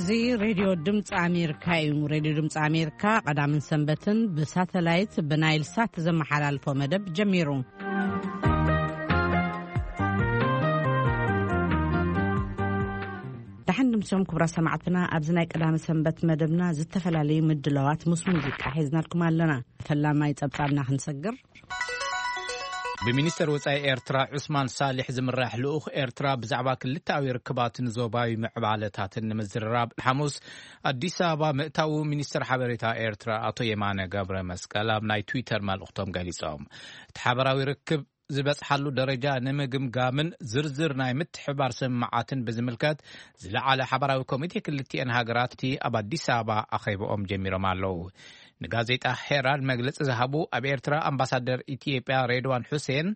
እዚ ሬድዮ ድምፂ ኣሜሪካ እዩ። ሬድዮ ድምፂ ኣሜሪካ ቀዳምን ሰንበትን ብሳተላይት ብናይል ሳት ዘመሓላልፎ መደብ ጀሚሩ። ደሓን ድምሶም ክቡራ ሰማዕትና፣ ኣብዚ ናይ ቀዳመ ሰንበት መደብና ዝተፈላለዩ ምድላዋት ምስ ሙዚቃ ሒዝናልኩም ኣለና። ፈላማይ ጸብጻብና ክንሰግር። ብሚኒስተር ወጻኢ ኤርትራ ዑስማን ሳሊሕ ዝምራሕ ልኡኽ ኤርትራ ብዛዕባ ክልተኣዊ ርክባትን ዞባዊ ምዕባለታትን ንምዝርራብ ሓሙስ ኣዲስ ኣበባ ምእታዉ ሚኒስተር ሓበሬታ ኤርትራ ኣቶ የማነ ገብረ መስቀል ኣብ ናይ ትዊተር መልእኽቶም ገሊጾም። እቲ ሓበራዊ ርክብ ዝበጽሓሉ ደረጃ ንምግምጋምን ዝርዝር ናይ ምትሕባር ስምምዓትን ብዝምልከት ዝለዓለ ሓበራዊ ኮሚቴ ክልቲኤን ሃገራት እቲ ኣብ ኣዲስ ኣበባ ኣኼባኦም ጀሚሮም ኣለዉ። ንጋዜጣ ሄራልድ መግለጺ ዝሃቡ ኣብ ኤርትራ ኣምባሳደር ኢትዮጵያ ሬድዋን ሑሴን፣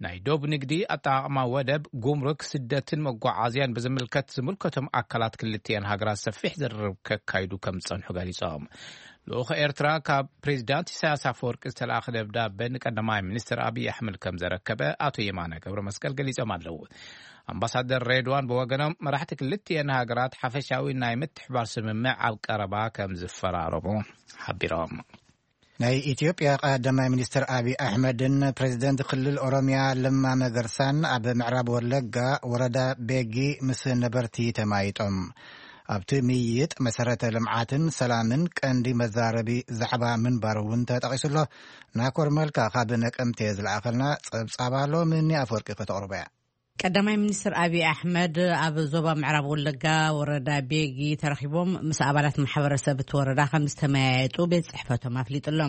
ናይ ዶብ ንግዲ፣ ኣጠቓቕማ ወደብ፣ ጉምሩክ፣ ስደትን መጓዓዝያን ብዝምልከት ዝምልከቶም ኣካላት ክልቲኤን ሃገራት ሰፊሕ ዝርርብ ከካይዱ ከም ዝጸንሑ ገሊጾም። ልኡኽ ኤርትራ ካብ ፕሬዚዳንት ኢሳያስ ኣፈወርቂ ዝተላእኸ ደብዳበ ንቀዳማይ ሚኒስትር ኣብይ ኣሕመድ ከም ዘረከበ ኣቶ የማነ ገብረ መስቀል ገሊጾም ኣለዉ። ኣምባሳደር ሬድዋን ብወገኖም፣ መራሕቲ ክልቲኤን ሃገራት ሓፈሻዊ ናይ ምትሕባር ስምምዕ ኣብ ቀረባ ከም ዝፈራረሙ ሓቢሮም። ናይ ኢትዮጵያ ቀዳማይ ሚኒስትር ኣብይ ኣሕመድን ፕሬዚደንት ክልል ኦሮሚያ ለማ መገርሳን ኣብ ምዕራብ ወለጋ ወረዳ ቤጊ ምስ ነበርቲ ተማይጦም። ኣብቲ ምይይጥ መሰረተ ልምዓትን ሰላምን ቀንዲ መዛረቢ ዛዕባ ምንባሩ እውን ተጠቒሱሎ። ናኮር መልካ ካብ ነቀምቴ ዝለኣኸልና ጸብጻብ ኣሎ፣ ምኒ ኣፈወርቂ ከተቕርቦ እያ። ቀዳማይ ሚኒስትር ኣብይ ኣሕመድ ኣብ ዞባ ምዕራብ ወለጋ ወረዳ ቤጊ ተረኺቦም ምስ ኣባላት ማሕበረሰብ እቲ ወረዳ ከም ዝተመያየጡ ቤት ጽሕፈቶም ኣፍሊጡ ኣሎ።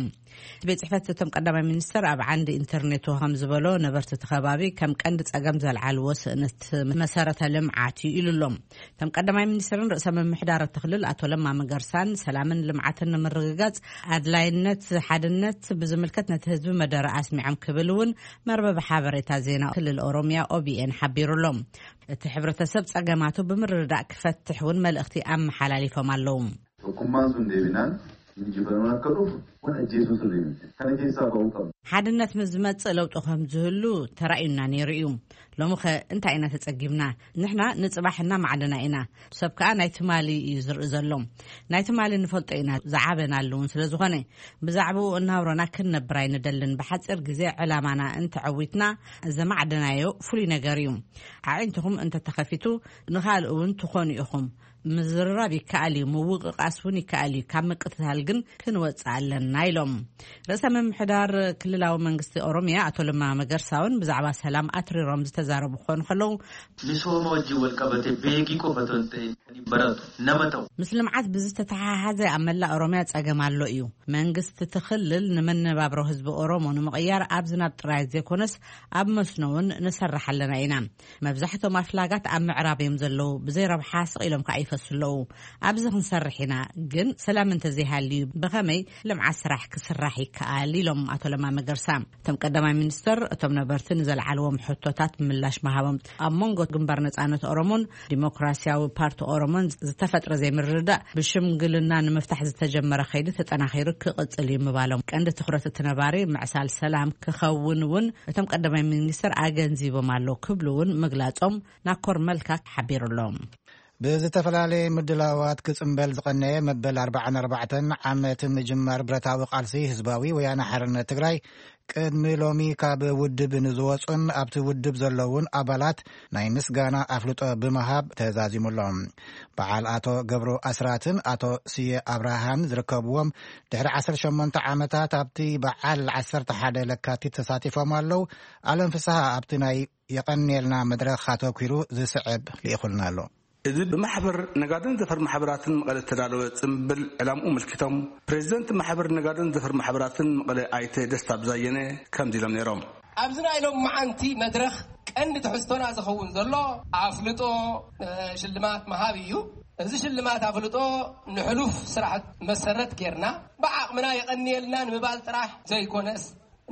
እቲ ቤት ጽሕፈት እቶም ቀዳማይ ሚኒስትር ኣብ ዓንዲ ኢንተርኔቱ ከም ዝበሎ፣ ነበርቲ እቲ ከባቢ ከም ቀንዲ ጸገም ዘልዓልዎ ስእነት መሰረተ ልምዓት እዩ ኢሉ ኣሎ። እቶም ቀዳማይ ሚኒስትርን ርእሰ ምምሕዳር እቲ ክልል ኣቶ ለማ መገርሳን ሰላምን ልምዓትን ንምርግጋጽ ኣድላይነት ሓድነት ብዝምልከት ነቲ ህዝቢ መደረ ኣስሚዖም ክብል እውን መርበብ ሓበሬታ ዜና ክልል ኦሮሚያ ኦቢኤን ሓቢሩ ኣሎ። እቲ ሕብረተሰብ ጸገማቱ ብምርድዳእ ክፈትሕ እውን መልእኽቲ ኣመሓላሊፎም ኣለዉ። Tokkummaan sun deebinaan injifannoon akka dhufu kun ajjeesuu sirrii miti. Kana keessaa ba'uu qabna. ሓድነት ምስ ዝመጽእ ለውጢ ከም ዝህሉ ተራእዩና ነይሩ እዩ። ሎሚ ኸ እንታይ ኢና ተጸጊብና? ንሕና ንጽባሕ እናማዕደና ኢና። ሰብ ከኣ ናይ ትማሊ እዩ ዝርኢ ዘሎ። ናይ ትማሊ ንፈልጦ ኢና፣ ዝዓበናሉ እውን ስለ ዝኾነ፣ ብዛዕባኡ እናውረና ክንነብር ኣይንደልን። ብሓጺር ግዜ ዕላማና እንተዐዊትና፣ ዘማዕደናዮ ፍሉይ ነገር እዩ። ኣዒንትኹም እንተተኸፊቱ፣ ንኻልእ እውን ትኾኑ ኢኹም። ምዝርራብ ይከኣል እዩ፣ ምውቕቓስ እውን ይከኣል እዩ። ካብ ምቅትታል ግን ክንወጽእ ኣለና ኢሎም። ርእሰ ምምሕዳር ክልላዊ መንግስቲ ኦሮሚያ ኣቶ ለማ መገርሳ እውን ብዛዕባ ሰላም ኣትሪሮም ዝተዛረቡ ክኾኑ ከለዉ፣ Misooma wajjin wal qabate beegii qofa otoo hin ta'in kan hin baratu nama ta'u. ምስ ልምዓት ብዝተተሓሓዘ ኣብ መላእ ኦሮሚያ ጸገም ኣሎ እዩ። መንግስቲ እቲ ክልል ንመነባብሮ ህዝቢ ኦሮሞ ንምቕያር ኣብ ዝናብ ጥራይ ዘይኮነስ ኣብ መስኖ እውን ንሰርሕ ኣለና ኢና። መብዛሕቶም ኣፍላጋት ኣብ ምዕራብ እዮም ዘለዉ፣ ብዘይ ረብሓ ስቕ ኢሎም ከኣ ይፈሱ ኣለዉ። ኣብዚ ክንሰርሕ ኢና፣ ግን ሰላም እንተዘይሃልዩ ብኸመይ ልምዓት ስራሕ ክስራሕ ይከኣል? ኢሎም ኣቶ ለማ መገርሳ። እቶም ቀዳማይ ሚኒስተር፣ እቶም ነበርቲ ንዘልዓልዎም ሕቶታት ምላሽ ምሃቦም፣ ኣብ መንጎ ግንባር ነጻነት ኦሮሞን ዲሞክራሲያዊ ፓርቲ ኦሮሞን ዝተፈጥረ ዘይምርድዳእ ብሽምግልና ንምፍታሕ ዝተጀመረ ከይዲ ተጠናኺሩ ክቕጽል እዩ ምባሎም፣ ቀንዲ ትኹረት እቲ ነባሪ ምዕሳል ሰላም ክኸውን እውን እቶም ቀዳማይ ሚኒስተር ኣገንዚቦም ኣለዉ ክብሉ እውን ምግላጾም ናኮር መልካ ሓቢሩ ኣሎ። ብዝተፈላለየ ምድላዋት ክጽንበል ዝቐነየ መበል ኣርባዓን ኣርባዕተን ዓመት ምጅማር ብረታዊ ቃልሲ ህዝባዊ ወያነ ሓርነት ትግራይ፣ ቅድሚ ሎሚ ካብ ውድብ ንዝወጹን ኣብቲ ውድብ ዘለዉን ኣባላት ናይ ምስጋና ኣፍልጦ ብምሃብ ተዛዚሙሎም። በዓል ኣቶ ገብሩ ኣስራትን ኣቶ ስየ ኣብርሃን ዝርከብዎም፣ ድሕሪ ዓሰርተ ሸሞንተ ዓመታት ኣብቲ በዓል ዓሰርተ ሓደ ለካቲት ተሳቲፎም ኣለዉ። ኣለም ፍስሃ ኣብቲ ናይ የቐንየልና መድረኽ ኣተኲሩ ዝስዕብ ልኢኹልና ኣሎ። እዚ ብማሕበር ነጋድን ዘፈር ማሕበራትን መቐለ እተዳለወ ጽምብል ዕላምኡ ኣመልኪቶም፣ ፕሬዚደንት ማሕበር ነጋድን ዘፈር ማሕበራትን መቐለ ኣይተ ደስታ ብዛየነ ከምዚ ኢሎም ነይሮም። ኣብዚ ናይ ሎም መዓንቲ መድረኽ ቀንዲ ትሕዝቶና ዝኸውን ዘሎ ኣፍልጦ፣ እ፣ ሽልማት ምሃብ እዩ። እዚ ሽልማት ኣፍልጦ ንሕሉፍ ስራሕት መሰረት ጌርና ብዓቕምና የቐንየልና ንምባል ጥራሕ ዘይኮነስ፣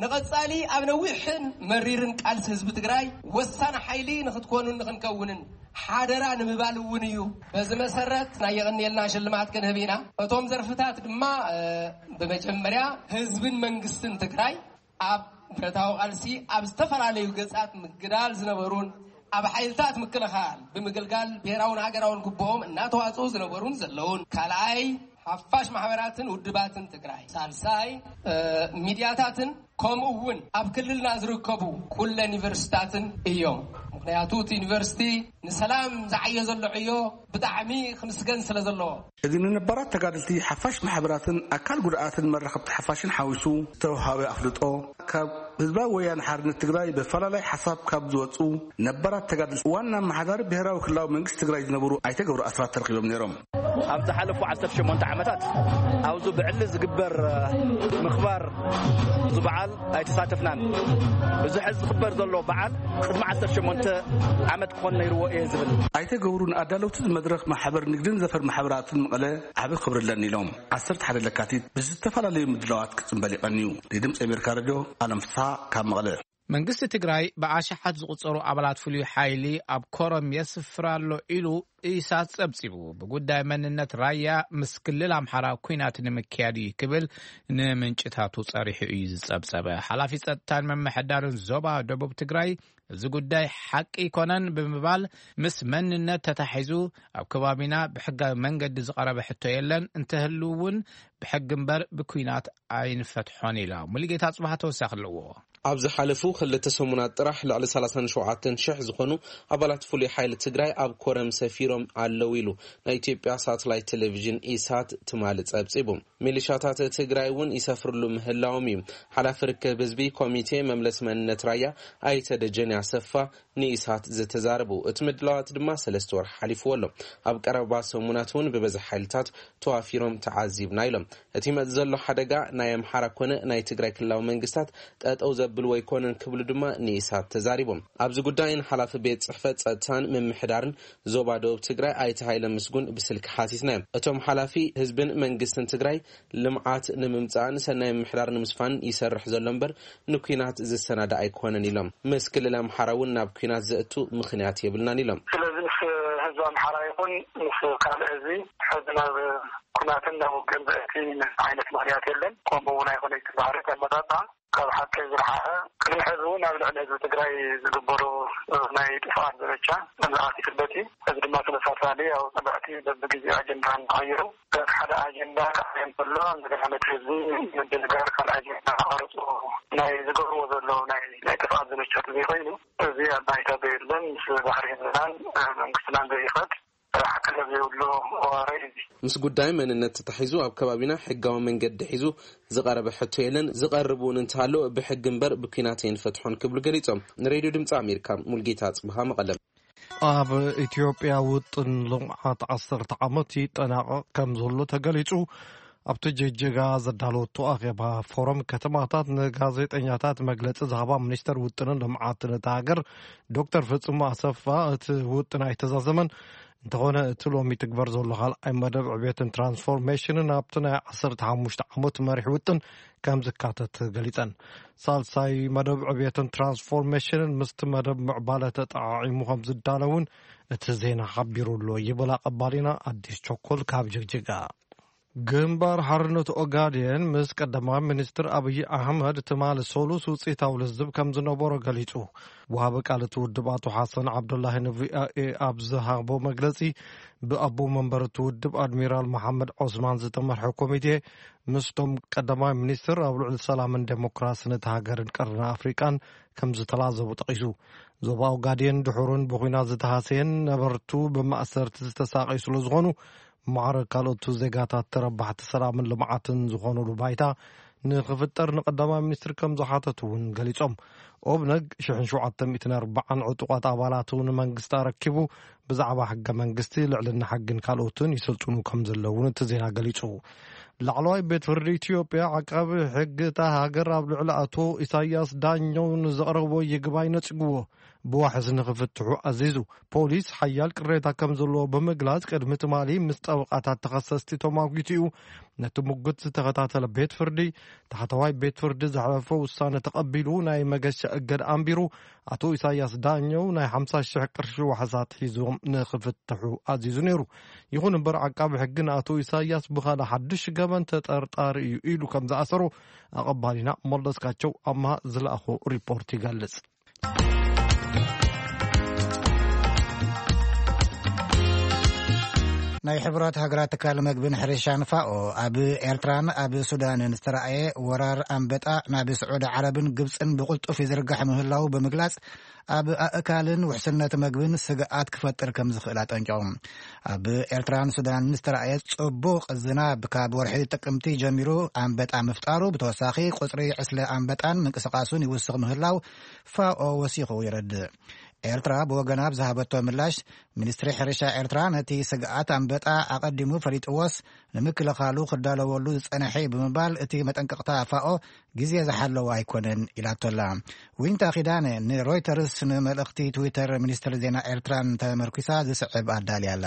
ንቐጻሊ ኣብ ነዊሕን መሪርን ቃልሲ ህዝቢ ትግራይ ወሳኒ ሓይሊ ንኽትኮኑን ንኽንከውንን ሓደራ ንምባል እውን እዩ። በዚ መሰረት ናይ የቐንየልና ሽልማት ክንህብ ኢና። እቶም ዘርፍታት ድማ፣ እ፣ ብመጀመርያ ህዝብን መንግስትን ትግራይ ኣብ ብረታዊ ቃልሲ ኣብ ዝተፈላለዩ ገጻት ምግዳል ዝነበሩን ኣብ ሓይልታት ምክልኻል ብምግልጋል ብሔራውን ሃገራውን ግቡኦም እናተዋፅኡ ዝነበሩን ዘለውን፣ ካልኣይ ሓፋሽ ማሕበራትን ውድባትን ትግራይ፣ ሳልሳይ ሚድያታትን ከምኡ እውን ኣብ ክልልና ዝርከቡ ኩለን ዩኒቨርሲታትን እዮም። ምክንያቱ እቲ ዩኒቨርሲቲ ንሰላም ዝዓዮ ዘሎ ዕዮ ብጣዕሚ ክምስገን ስለ ዘለዎ። እዚ ንነባራት ተጋድልቲ ሓፋሽ ማሕበራትን ኣካል ጉድኣትን መራኸብቲ ሓፋሽን ሓዊሱ ዝተውሃበ ኣፍልጦ፣ ካብ ህዝባዊ ወያነ ሓርነት ትግራይ ብፈላላይ ሓሳብ ካብ ዝወፁ ነባራት ተጋድልቲ ዋና ኣመሓዳሪ ብሔራዊ ክልላዊ መንግስቲ ትግራይ ዝነበሩ ኣይተ ገብሩ ኣስራት ተረኪቦም ነይሮም። ኣብ ዝሓለፉ ዓሰርተ ሸሞንተ ዓመታት ኣብዚ ብዕሊ ዝግበር ምኽባር ዝበዓል ኣይተሳተፍናን። እዚ ሕዚ ዝኽበር ዘሎ በዓል ቅድሚ ዓሰርተ ሸሞንተ ዓመት ክኾን ነይርዎ እየ ዝብል። ኣይተ ገብሩ ንኣዳለውቲ መድረኽ ማሕበር ንግድን ዘፈር ማሕበራትን መቐለ ዓቢ ክብሪ ኣለኒ ኢሎም። ዓሰርተ ሓደ ለካቲት ብዝተፈላለዩ ምድላዋት ክጽንበል ይቐንዩ። ንድምፂ ኣሜሪካ ሬድዮ ኣለም ፍስሓ ካብ መቐለ። መንግስቲ ትግራይ ብኣሽሓት ዝቑጸሩ ኣባላት ፍሉይ ሓይሊ ኣብ ኮረም የስፍር ኣሎ ኢሉ ኢሳት ጸብጺቡ። ብጉዳይ መንነት ራያ ምስ ክልል ኣምሓራ ኲናት ንምክያድ እዩ ክብል ንምንጭታቱ ጸሪሑ እዩ ዝጸብጸበ። ሓላፊ ጸጥታን ምምሕዳርን ዞባ ደቡብ ትግራይ እዚ ጉዳይ ሓቂ ኣይኮነን ብምባል ምስ መንነት ተታሒዙ ኣብ ከባቢና ብሕጋዊ መንገዲ ዝቐረበ ሕቶ የለን፣ እንተህሉ እውን ብሕጊ እምበር ብኲናት ኣይንፈትሖን ኢላ። ሙሉጌታ ጽባህ ተወሳኺ ኣለዎ። ኣብ ዝሓለፉ ክልተ ሰሙናት ጥራሕ ልዕሊ ሰላሳን ሸውዓተን ሽሕ ዝኾኑ ኣባላት ፍሉይ ሓይሊ ትግራይ ኣብ ኮረም ሰፊሮም ኣለዉ ኢሉ ናይ ኢትዮጵያ ሳትላይት ቴሌቪዥን ኢሳት ትማሊ ጸብጺቡ። ሚሊሻታት ትግራይ እውን ይሰፍርሉ ምህላዎም እዩ። ሓላፊ ርክብ ህዝቢ ኮሚቴ መምለስ መንነት ራያ ኣይተ ደጀን ያሰፋ ንኢሳት ዝተዛረቡ። እቲ ምድላዋት ድማ ሰለስተ ወርሒ ሓሊፍዎ ኣሎ። ኣብ ቀረባ ሰሙናት እውን ብበዝሒ ሓይልታት ተዋፊሮም ተዓዚብና ኢሎም። እቲ ይመጽእ ዘሎ ሓደጋ ናይ ኣምሓራ ኮነ ናይ ትግራይ ክልላዊ መንግስታት ጠጠው ዘብል ወይኮነን ክብሉ ድማ ንኢሳት ተዛሪቦም። ኣብዚ ጉዳይን ሓላፊ ቤት ጽሕፈት ጸጥታን ምምሕዳርን ዞባ ደቡብ ትግራይ ኣይተ ሃይለ ምስጉን ብስልኪ ሓቲትናዮም። እቶም ሓላፊ ህዝብን መንግስትን ትግራይ ልምዓት ንምምጻእን ሰናይ ምምሕዳር ንምስፋንን ይሰርሕ ዘሎ እምበር ንኲናት ዝሰናዳ ኣይኮነን ኢሎም። ምስ ክልል ኣምሓራ እውን ናብ ኲናት ዘእቱ ምኽንያት የብልናን ኢሎም። ስለዚ ምስ ህዝቢ ኣምሓራ ይኹን ምስ ካልእ ህዝቢ ሕዚ ናብ ኲናትን ናብ ውግእን ዘእቲ ዓይነት ምኽንያት የለን። ከምኡ እውን ኣይኮነ እቲ ባህሪ ኣመጣጣ ካብ ሓቂ ዝረሓቐ ቅድሚ ሕዚ እውን ኣብ ልዕሊ ህዝቢ ትግራይ ዝግበሩ ናይ ጥፍኣት ዘመቻ ከም ዝኣት ይፍለጥ እዩ። እዚ ድማ ተመሳሳሊ ኣብ ፀላእቲ በብግዜኡ ኣጀንዳ ንክቐይሩ ሓደ ኣጀንዳ ክዓየ እንከሎ እንደገና ነቲ ህዝቢ ምድንጋር ካልእ ኣጀንዳ ክቐርፁ ናይ ዝገብርዎ ዘለዉ ናይ ናይ ጥፍኣት ዘመቻ ተዘይኮይኑ እዚ ኣብ ባይታ ዘየለን ምስ ባህሪ ህዝብናን መንግስትናን ዘይኸድ ሓቅነት ዘይብሉ ወረ እዩ። ምስ ጉዳይ መንነት ተታሒዙ ኣብ ከባቢና ሕጋዊ መንገዲ ሒዙ ዝቐረበ ሕቶ የለን፣ ዝቐርብ እውን እንተሃሎ ብሕጊ እምበር ብኲናት ኣይንፈትሖን ክብሉ ገሊጾም። ንሬድዮ ድምፂ ኣሜሪካ ሙልጌታ ጽብሃ መቐለ። ኣብ ኢትዮጵያ ውጥን ልምዓት ዓሰርተ ዓመት ይጠናቐቕ ከም ዘሎ ተገሊጹ። ኣብቲ ጅጅጋ ዘዳለወቶ ኣኼባ ፎረም ከተማታት ንጋዜጠኛታት መግለጺ ዝሃባ ሚኒስተር ውጥንን ልምዓትን እታ ሃገር ዶክተር ፍጹም ኣሰፋ እቲ ውጥን ኣይተዛዘመን። እንተኾነ እቲ ሎሚ ትግበር ዘሎ ካልኣይ መደብ ዕቤትን ትራንስፎርሜሽንን ኣብቲ ናይ ዓሰርተ ሓሙሽተ ዓመት መሪሕ ውጥን ከም ዝካተት ገሊጸን። ሳልሳይ መደብ ዕቤትን ትራንስፎርሜሽንን ምስቲ መደብ ምዕባለ ተጠዓዒሙ ከም ዝዳለውን እቲ ዜና ሓቢሩ ኣሎ ይብል ኣቐባሊና ኣዲስ ቸኮል ካብ ጅግጅጋ። ግንባር ሓርነት ኦጋዴን ምስ ቀዳማይ ሚኒስትር ኣብይ ኣሕመድ ትማሊ ሰሉስ ውፅኢታዊ ልዝብ ከም ዝነበሮ ገሊፁ። ወሃቢ ቃል እቲ ውድብ ኣቶ ሓሰን ዓብዱላሂ ንቪኦኤ ኣብ ዝሃቦ መግለፂ ብኣቦ መንበር እቲ ውድብ ኣድሚራል መሓመድ ዖስማን ዝተመርሐ ኮሚቴ ምስቶም ቀዳማይ ሚኒስትር ኣብ ልዕሊ ሰላምን ዴሞክራስን እቲ ሃገርን ቀርኒ ኣፍሪቃን ከም ዝተላዘቡ ጠቒሱ። ዞባ ኦጋዴን ድሑርን ብኹናት ዝተሃሰየን ነበርቱ ብማእሰርቲ ዝተሳቐዩ ስለ ዝኾኑ ማዕረ ካልኦት ዜጋታት ተረባሕቲ ሰላምን ልምዓትን ዝኾኑሉ ባይታ ንኽፍጠር ንቀዳማይ ሚኒስትር ከም ዝሓተቱ እውን ገሊጾም። ኦብነግ ሽሕን ሸውዓተ ሚእትን ኣርባዓን ዕጡቓት ኣባላቱ ንመንግስቲ ኣረኪቡ ብዛዕባ ሕገ መንግስቲ ልዕልና ሕግን ካልኦትን ይሰልጥኑ ከም ዘለውን እቲ ዜና ገሊጹ። ላዕለዋይ ቤት ፍርዲ ኢትዮጵያ ዓቃቢ ሕጊ እታ ሃገር ኣብ ልዕሊ ኣቶ ኢሳያስ ዳኘው ንዘቕረቦ ይግባይ ነጺግዎ። ብዋሕስ ንኽፍትሑ ኣዚዙ። ፖሊስ ሓያል ቅሬታ ከም ዘለዎ ብምግላጽ ቅድሚ ትማሊ ምስ ጠበቓታት ተኸሰስቲ ተሟጊቱ እዩ። ነቲ ሙግት ዝተኸታተለ ቤት ፍርዲ ታሕተዋይ ቤት ፍርዲ ዘሕለፎ ውሳነ ተቐቢሉ ናይ መገሻ እገድ ኣንቢሩ ኣቶ ኢሳያስ ዳኘው ናይ ሓምሳ ሽሕ ቅርሺ ዋሕስ ኣትሒዞም ንኽፍትሑ ኣዚዙ ነይሩ። ይኹን እምበር ዓቃቢ ሕጊ ንኣቶ ኢሳያስ ብኻልእ ሓድሽ ገበን ተጠርጣሪ እዩ ኢሉ ከም ዝኣሰሮ ኣቐባሊና መለስካቸው ኣምሃ ዝለኣኾ ሪፖርት ይገልጽ። ናይ ሕቡራት ሃገራት ትካል መግብን ሕርሻን ፋኦ፣ ኣብ ኤርትራን ኣብ ሱዳንን ዝተራእየ ወራር ኣንበጣ ናብ ስዑዲ ዓረብን ግብጽን ብቕልጡፍ ይዝርጋሕ ምህላው ብምግላጽ፣ ኣብ ኣእካልን ውሕስነት መግብን ስግኣት ክፈጥር ከም ዝኽእል ኣጠንቂቑ። ኣብ ኤርትራን ሱዳንን ዝተራእየ ጽቡቕ ዝናብ ካብ ወርሒ ጥቅምቲ ጀሚሩ ኣንበጣ ምፍጣሩ፣ ብተወሳኺ ቁጽሪ ዕስለ ኣንበጣን ምንቅስቓሱን ይውስኽ ምህላው ፋኦ ወሲኹ የረድእ። ኤርትራ ብወገና ኣብ ዝሃበቶ ምላሽ፣ ሚኒስትሪ ሕርሻ ኤርትራ ነቲ ስግኣት ኣንበጣ ኣቐዲሙ ፈሊጥዎስ፣ ንምክልኻሉ ክዳለወሉ ዝጸንሐ እዩ ብምባል፣ እቲ መጠንቀቕታ ፋኦ ግዜ ዝሓለወ ኣይኮነን ኢላቶላ። ዊንታ ኪዳነ ንሮይተርስ ንመልእኽቲ ትዊተር ሚኒስትሪ ዜና ኤርትራን ተመርኲሳ ዝስዕብ ኣዳልያላ።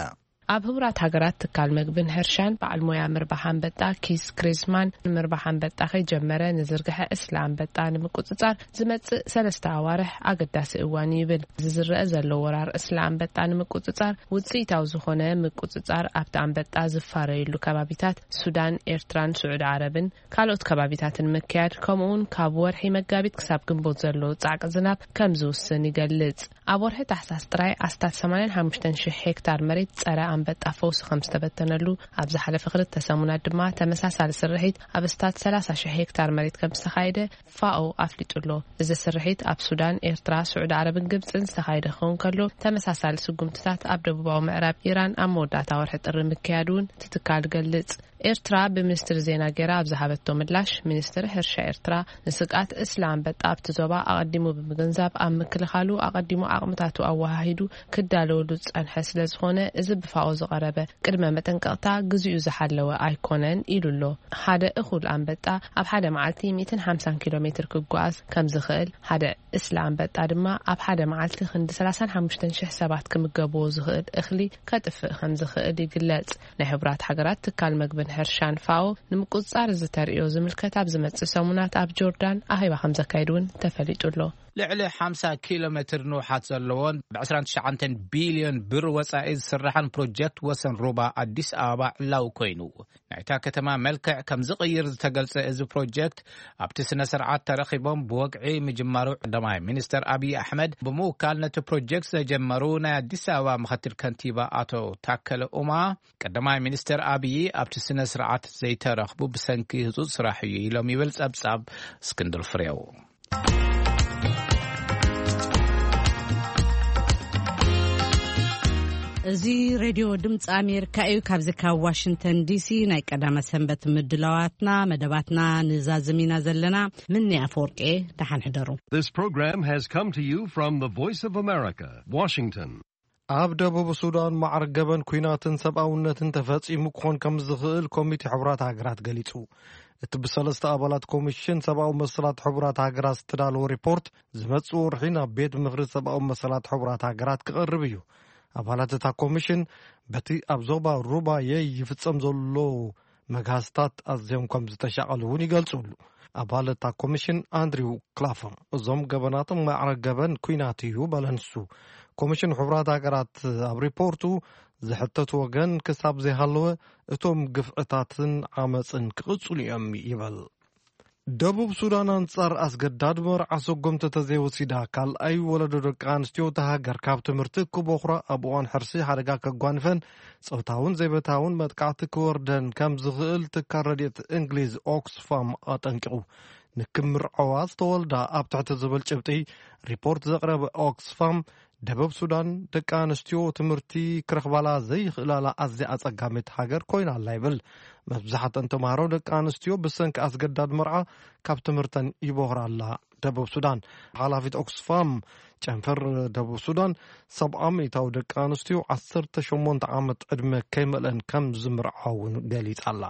ኣብ ህቡራት ሃገራት ትካል መግብን ሕርሻን በዓል ሞያ ምርባሕ ኣንበጣ ኪስ ክሪዝማን፣ ምርባሕ ኣንበጣ ከይጀመረ ንዝርግሐ እስለ ኣንበጣ ንምቁጽጻር ዝመጽእ ሰለስተ ኣዋርሕ ኣገዳሲ እዋን እዩ ይብል። እዚ ዝረአ ዘሎ ወራር እስለ ኣንበጣ ንምቁጽጻር ውጽኢታዊ ዝኾነ ምቁጽጻር ኣብቲ ኣንበጣ ዝፋረየሉ ከባቢታት ሱዳን፣ ኤርትራን ስዑዲ ዓረብን ካልኦት ከባቢታትን ምክያድ፣ ከምኡውን ካብ ወርሒ መጋቢት ክሳብ ግንቦት ዘሎ ጻዕቂ ዝናብ ከም ዝውስን ይገልጽ። ኣብ ወርሒ ታሕሳስ ጥራይ ኣስታት ሰማንያን ሓሙሽተን ሽሕ ሄክታር መሬት ጸረ ኣንበጣ ፈውሲ ከም ዝተበተነሉ፣ ኣብ ዝሓለፈ ክልተ ሰሙናት ድማ ተመሳሳሊ ስርሒት ኣብ ኣስታት ሰላሳ ሽሕ ሄክታር መሬት ከም ዝተኻየደ ፋኦ ኣፍሊጡ ኣሎ። እዚ ስርሒት ኣብ ሱዳን፣ ኤርትራ፣ ስዑዲ ዓረብን ግብጽን ዝተኻየደ ክኸውን ከሎ፣ ተመሳሳሊ ስጉምትታት ኣብ ደቡባዊ ምዕራብ ኢራን ኣብ መወዳእታ ወርሒ ጥሪ ምክያዱ እውን እቲ ትካል ገልጽ። ኤርትራ ብሚኒስትሪ ዜና ጌራ ኣብ ዝሃበቶ ምላሽ፣ ሚኒስትሪ ሕርሻ ኤርትራ ንስግኣት እስለ ኣንበጣ ኣብቲ ዞባ ኣቐዲሙ ብምግንዛብ፣ ኣብ ምክልኻሉ ኣቐዲሙ ዓቕምታቱ ኣወሃሂዱ ክዳለወሉ ዝጸንሐ ስለ ዝኾነ፣ እዚ ብፋኦ ዝቐረበ ቅድመ መጠንቀቕታ ግዜኡ ዝሓለወ ኣይኮነን ኢሉ ኣሎ። ሓደ እኹል ኣንበጣ ኣብ ሓደ መዓልቲ ሚእትን ሓምሳን ኪሎ ሜትር ክጓዓዝ ከም ዝኽእል፣ ሓደ እስለ ኣንበጣ ድማ ኣብ ሓደ መዓልቲ ክንዲ ሰላሳን ሓሙሽተን ሽሕ ሰባት ክምገብዎ ዝኽእል እኽሊ ከጥፍእ ከም ዝኽእል ይግለጽ። ናይ ሕቡራት ሃገራት ትካል መግብን ሕርሻን ፋኦ ንምቁጽጻር እዚ ተርእዮ ዝምልከት ኣብ ዝመጽእ ሰሙናት ኣብ ጆርዳን ኣኼባ ከም ዘካይድ እውን ተፈሊጡ ኣሎ። ልዕሊ ሓምሳ ኪሎ ሜትር ንውሓት ዘለዎን ብ ዕስራን ትሽዓተን ቢልዮን ብር ወጻኢ ዝስራሕን ፕሮጀክት ወሰን ሩባ ኣዲስ ኣበባ ዕላዊ ኮይኑ፣ ናይታ ከተማ መልክዕ ከም ዝቕይር ዝተገልጸ እዚ ፕሮጀክት፣ ኣብቲ ስነ ስርዓት ተረኺቦም ብወግዒ ምጅማሩ፣ ቀዳማይ ሚኒስተር ኣብይ ኣሕመድ ብምውካል ነቲ ፕሮጀክት ዘጀመሩ ናይ ኣዲስ ኣበባ ምኽትል ከንቲባ ኣቶ ታከለ ኡማ፣ ቀዳማይ ሚኒስተር ኣብይ ኣብቲ ስነ ስርዓት ዘይተረኽቡ ብሰንኪ ህጹጽ ስራሕ እዩ ኢሎም ይብል ጸብጻብ እስክንድር ፍሬው። እዚ ሬድዮ ድምፂ ኣሜሪካ እዩ። ካብዚ ካብ ዋሽንግተን ዲሲ ናይ ቀዳመ ሰንበት ምድላዋትና፣ መደባትና ንዛዝም ኢና ዘለና። ምኒ ኣፈወርቂ፣ ደሓን ሕደሩ። This program has come to you from the Voice of America, Washington. ኣብ ደቡብ ሱዳን ማዕረ ገበን ኲናትን ሰብኣውነትን ተፈጺሙ ክኾን ከም ዝኽእል ኮሚቴ ሕቡራት ሃገራት ገሊጹ። እቲ ብሰለስተ ኣባላት ኮሚሽን ሰብኣዊ መሰላት ሕቡራት ሃገራት ዝተዳለወ ሪፖርት፣ ዝመጽእ ወርሒ ናብ ቤት ምኽሪ ሰብኣዊ መሰላት ሕቡራት ሃገራት ክቐርብ እዩ። ኣባላት እታ ኮሚሽን፣ በቲ ኣብ ዞባ ሩባየ ይፍጸም ዘሎ መግሃስታት ኣዝዮም ከም ዝተሻቐሉ እውን ይገልጹሉ። ኣባል እታ ኮሚሽን ኣንድሪው ክላፈም፣ እዞም ገበናት ማዕረ ገበን ኲናት እዩ በለ ንሱ። ኮሚሽን ሕቡራት ሃገራት ኣብ ሪፖርቱ፣ ዝሕተቱ ወገን ክሳብ ዘይሃለወ፣ እቶም ግፍዕታትን ዓመጽን ክቕጽሉ እዮም ይበል። ደቡብ ሱዳን ኣንጻር ኣስገዳድ መርዓ ሰጎምቲ ተዘይወሲዳ፣ ካልኣይ ወለዶ ደቂ ኣንስትዮ እታ ሃገር ካብ ትምህርቲ ክቦኽራ፣ ኣብ እዋን ሕርሲ ሓደጋ ከጓንፈን ጾታውን ዘይበታውን መጥቃዕቲ ክወርደን ከም ዝኽእል ትካል ረድኤት እንግሊዝ ኦክስፋም ኣጠንቂቑ። ንክምርዐዋ ዝተወልዳ ኣብ ትሕቲ ዝብል ጭብጢ ሪፖርት ዘቕረበ ኦክስፋም፣ ደቡብ ሱዳን ደቂ ኣንስትዮ ትምህርቲ ክረኽባላ ዘይኽእላላ ኣዝያ ኣጸጋሚት ሃገር ኮይና ኣላ ይብል። መብዛሕተን ተምሃሮ ደቂ ኣንስትዮ ብሰንኪ ኣስገዳድ መርዓ ካብ ትምህርተን ይቦኽራ ኣላ። ደቡብ ሱዳን ሓላፊት ኦክስፋም ጨንፈር ደቡብ ሱዳን፣ ሰብዓ ሚእታዊ ደቂ ኣንስትዮ ዓሰርተ ሸሞንተ ዓመት ዕድመ ከይመልአን ከም ዝምርዓውን ገሊጻ ኣላ።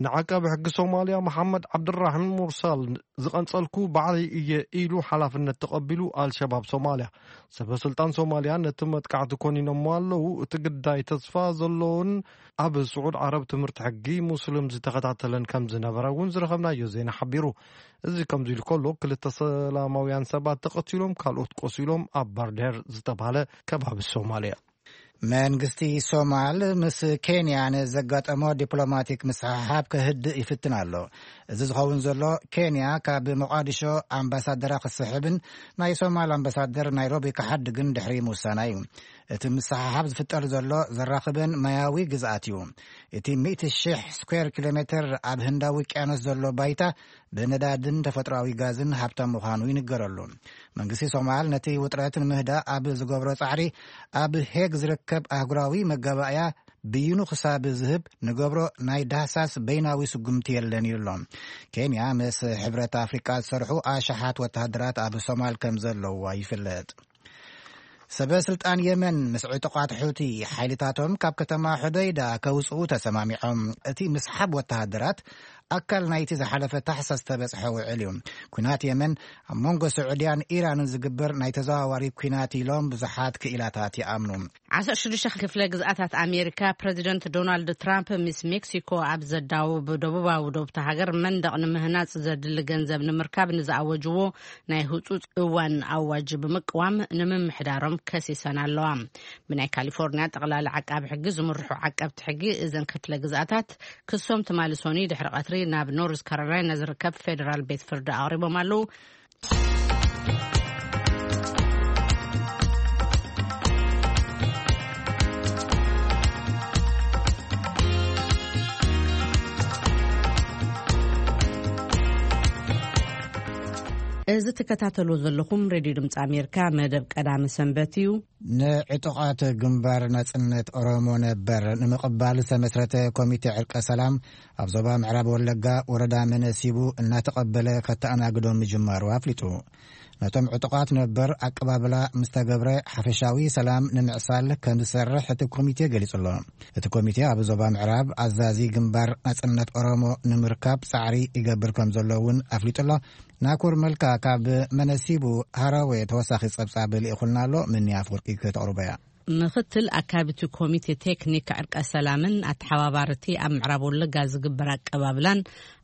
ንዓቃቢ ሕጊ ሶማልያ መሓመድ ዓብድራሒም ሙርሳል ዝቐንጸልኩ ባዕለይ እየ ኢሉ ሓላፍነት ተቐቢሉ ኣልሸባብ ሶማልያ። ሰበ ስልጣን ሶማልያ ነቲ መጥቃዕቲ ኮኒኖሞ ኣለዉ። እቲ ግዳይ ተስፋ ዘለዎን ኣብ ስዑድ ዓረብ ትምህርቲ ሕጊ ሙስሊም ዝተኸታተለን ከም ዝነበረ እውን ዝረኸብናዮ ዜና ሓቢሩ። እዚ ከምዚ ኢሉ ከሎ ክልተ ሰላማውያን ሰባት ተቐቲሎም ካልኦት ቆሲሎም ኣብ ባርዴር ዝተባህለ ከባቢ ሶማልያ። መንግስቲ ሶማል ምስ ኬንያ ንዘጋጠሞ ዲፕሎማቲክ ምስሕሓብ ከህድእ ይፍትን ኣሎ። እዚ ዝኸውን ዘሎ፣ ኬንያ ካብ ሞቓዲሾ ኣምባሳደራ ክስሕብን ናይ ሶማል ኣምባሳደር ናይሮቢ ክሓድግን ድሕሪ ምውሳና እዩ። እቲ ምስሕሓብ ዝፍጠር ዘሎ ዘራኽበን ማያዊ ግዝኣት እዩ። እቲ ሚእቲ ሺሕ ስኩዌር ኪሎ ሜትር ኣብ ህንዳዊ ውቅያኖስ ዘሎ ባይታ ብነዳድን ተፈጥሮኣዊ ጋዝን ሃብታም ምዃኑ ይንገረሉ። መንግስቲ ሶማል ነቲ ውጥረት ንምህዳእ ኣብ ዝገብሮ ጻዕሪ፣ ኣብ ሄግ ዝርከብ ኣህጉራዊ መጋባእያ ብይኑ ክሳብ ዝህብ ንገብሮ ናይ ዳህሳስ በይናዊ ስጉምቲ የለን እዩ ኣሎ። ኬንያ ምስ ሕብረት ኣፍሪቃ ዝሰርሑ ኣሽሓት ወተሃደራት ኣብ ሶማል ከም ዘለዋ ይፍለጥ። ሰበ ስልጣን የመን ምስ ዕጡቓት ሑቲ ሓይልታቶም ካብ ከተማ ሑደይዳ ከውፅኡ ተሰማሚዖም። እቲ ምስሓብ ወተሃደራት ኣካል ናይቲ ዝሓለፈ ታሕሳስ ዝተበፅሐ ውዕል እዩ። ኩናት የመን ኣብ መንጎ ስዑድያን ኢራንን ዝግበር ናይ ተዘዋዋሪ ኩናት ኢሎም ብዙሓት ክኢላታት ይኣምኑ። ዓሰርተ ሽዱሽተ ክፍለ ግዝኣታት ኣሜሪካ፣ ፕረዚደንት ዶናልድ ትራምፕ ምስ ሜክሲኮ ኣብ ዘዳውብ ደቡባዊ ዶብታ ሃገር መንደቕ ንምህናጽ ዘድሊ ገንዘብ ንምርካብ ንዝኣወጅዎ ናይ ህጹጽ እዋን ኣዋጅ ብምቅዋም ንምምሕዳሮም ከሲሰን ኣለዋ። ብናይ ካሊፎርኒያ ጠቕላሊ ዓቃቢ ሕጊ ዝምርሑ ዓቀብቲ ሕጊ እዘን ክፍለ ግዝኣታት ክሶም ትማሊ ሶኒ ድሕሪ ቀትሪ ናብ ኖርዝ ካሮላይና ዝርከብ ፌደራል ቤት ፍርዲ ኣቕሪቦም ኣለዉ። እዚ ትከታተልዎ ዘለኹም ሬድዮ ድምፂ ኣሜሪካ መደብ ቀዳመ ሰንበት እዩ። ንዕጡቓት ግንባር ናጽነት ኦሮሞ ነበር ንምቕባል ዝተመስረተ ኮሚቴ ዕርቀ ሰላም ኣብ ዞባ ምዕራብ ወለጋ ወረዳ መነሲቡ እናተቐበለ ከተኣናግዶም ምጅማሩ ኣፍሊጡ። ነቶም ዕጡቓት ነበር ኣቀባብላ ምስ ተገብረ ሓፈሻዊ ሰላም ንምዕሳል ከም ዝሰርሕ እቲ ኮሚቴ ገሊጹ ኣሎ። እቲ ኮሚቴ ኣብ ዞባ ምዕራብ ኣዛዚ ግንባር ናጽነት ኦሮሞ ንምርካብ ጻዕሪ ይገብር ከም ዘሎ እውን ኣፍሊጡ ኣሎ። ናኩር መልካ ካብ መነሲቡ ሃራዌ ተወሳኺ ጸብጻብ ልኢኹልና ኣሎ። ምኒ ኣፍወርቂ ከተቕርቦ እያ። ምኽትል ኣካቢቲ ኮሚቴ ቴክኒክ ዕርቀ ሰላምን ኣተሓባባርቲ ኣብ ምዕራብ ወለጋ ዝግበር ኣቀባብላን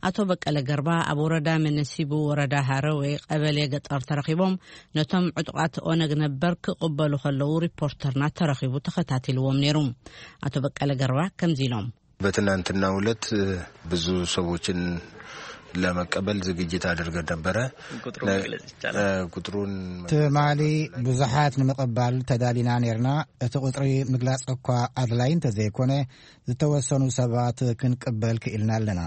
ኣቶ በቀለ ገርባ ኣብ ወረዳ መነሲቡ ወረዳ ሃረዌ ቀበሌ ገጠር ተረኺቦም ነቶም ዕጡቓት ኦነግ ነበር ክቕበሉ ከለዉ ሪፖርተርና ተረኺቡ ተኸታቲልዎም ነይሩ። ኣቶ በቀለ ገርባ ከምዚ ኢሎም። በትናንትናው ዕለት ብዙ ሰዎችን ለመቀበል ዝግጅት አድርገን ነበረ። ቁጥሩ ነ- መግለጽ ይቻላል? እ፣ ቁጥሩን ትማሊ ብዙሓት ንምቕባል ተዳሊና ነርና። እቲ ቁጥሪ ምግላጽ እኳ ኣድላይ እንተዘይኮነ፣ ዝተወሰኑ ሰባት ክንቅበል ክኢልና ኣለና።